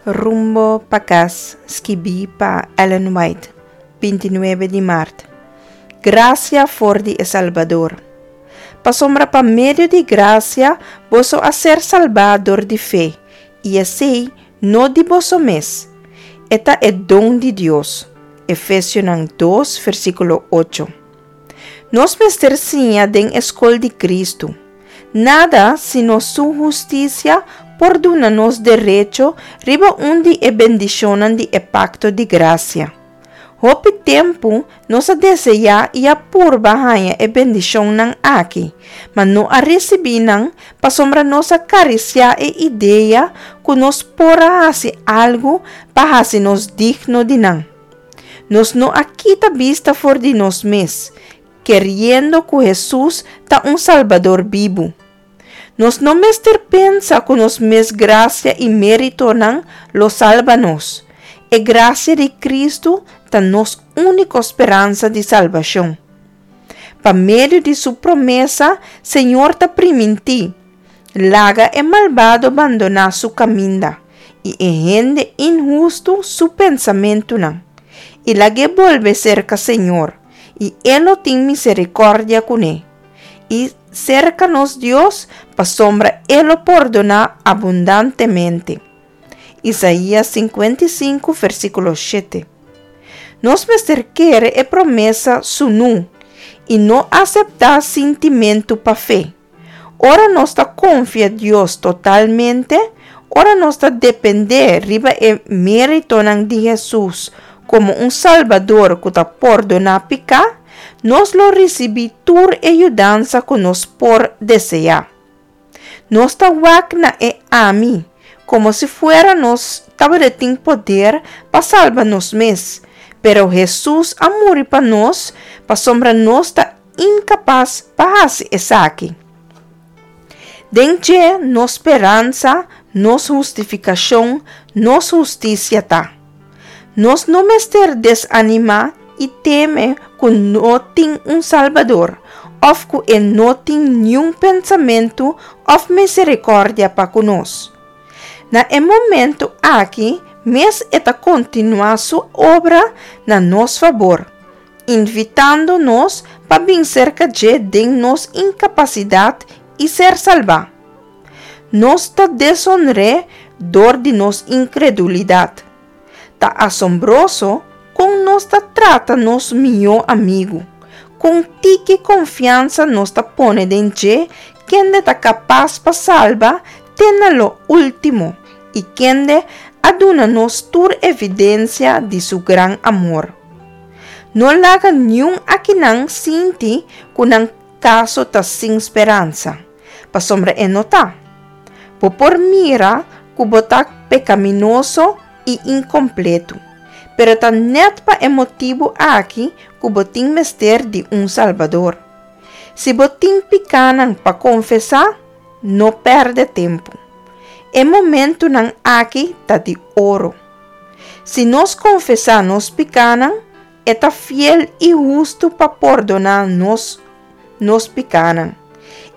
Rumbo pa Kas, skibí pa Ellen White, 29 di mart. Grasia for di e Salbador. Pasobra pa medio di grasia boso a ser salbá dor di fe, i esei no di boso mes, e ta e don di Dios. Efesionan 2, versíkulo 8. Nos mester siña den e skol di Kristu. Nada sino Su hustisia por duna nos derecho riba un di e bendishonnan di e pakto di grasia. Hopi tempu nos a deseá i a purba haña e bendishonnan aki, ma no a risibí nan pasobra nos a karisiá e idea ku nos por a hasi algu pa hasi nos digno di nan. Nos no a kita bista for di nos mes, keriendo ku Hesus ta un Salbador bibu. Nos no mester pensa ku nos mes grasia i méritonan lo salba nos. E grasia di Kristu ta nos úniko speransa di salbashon. Pa medio di su promesa, Señor ta primintí, Laga e malbado bandoná su kaminda, i e hende inhustu su pensamentunan, i lag'é bolbe serka Señor, i E lo tin miserikòrdia kuné, i serka nos Dios, pasobra E lo pordoná abundantemente. Isaías 55, versíkulo 7. Nos mester kere e promesa sunú i no aseptá sintimentu pa fe. Ora nos ta konfia Dios totalmente, ora nos ta dependé riba e méritonan di Hesus komo un Salbador ku ta pordoná piká, nos lo risibí tur e yudansa ku nos por deseá. Nos ta wak na e ami, komo si fuera nos tabata tin poder pa salba nos mes, pero Hesus a muri pa nos pasobra nos ta inkapas pa hasi esaki. Den dje nos speransa, nos hustifikashon, nos hustisia ta. Nos no mester desanimá i teme ku no tin un Salbador òf ku e no tin niun pensamentu òf miserikòrdia pa ku nos. Na e momentu aki mes e ta kontinuá su obra na nos fabor, invitando nos pa bin serka dje den nos inkapasidat i ser salbá. Nos ta deshonr'é dor di nos inkredulidat. Ta asombroso kon nos ta trata nos mihó amigu, kon tiki konfiansa nos ta pone den dje kende ta kapas pa salba te na lo último i kende a duna nos tur evidensia di su gran amor. No laga niun akinan sinti ku nan kaso ta sin speransa, pasobra e no ta. Bo por mira ku bo ta pekaminoso i inkompletu, pero ta nèt pa e motibu aki ku bo tin mester di un Salbador. Si bo tin pikánan pa konfesá, no pèrdè tempu. E momentunan aki ta di oro. Si nos konfesá nos pikánan, e ta fiel i hustu pa pordoná nos nos pikánan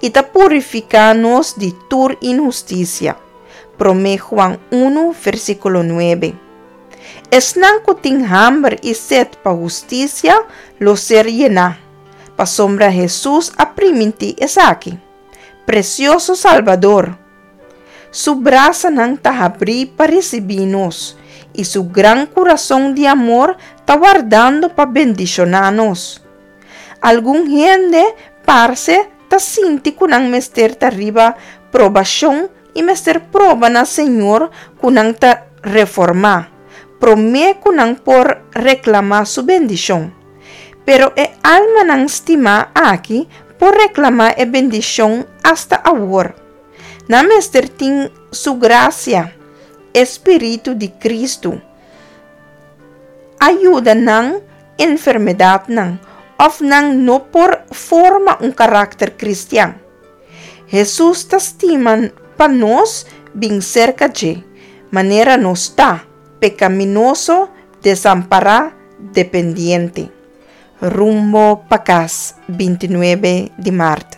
i ta purifiká nos di tur inhustisia. Promé Juan 1, versíkulo 9. Esnan ku tin hamber i set pa hustisia lo ser yená, pasobra Hesus a primintí esaki. Presioso Salbador! Su brasanan ta habrí pa risibí nos, i su gran kurason di amor ta wardando pa bendishoná nos. Algun hende parse ta sinti ku nan mester ta riba probashon i mester proba na Señor ku nan ta reformá, promé ku nan por reklamá su bendishon. Pero e almanan stimá aki por reklamá e bendishon asta awor. Nan mester tin Su grasia, e Spiritu di Kristu, a yuda nan enfermedatnan òf nan no por forma un karakter kristian. Hesus ta stima pa nos bin serka dje, manera nos ta, pekaminoso, desampará, dependiente. Rumbo pa kas, 29 di mart.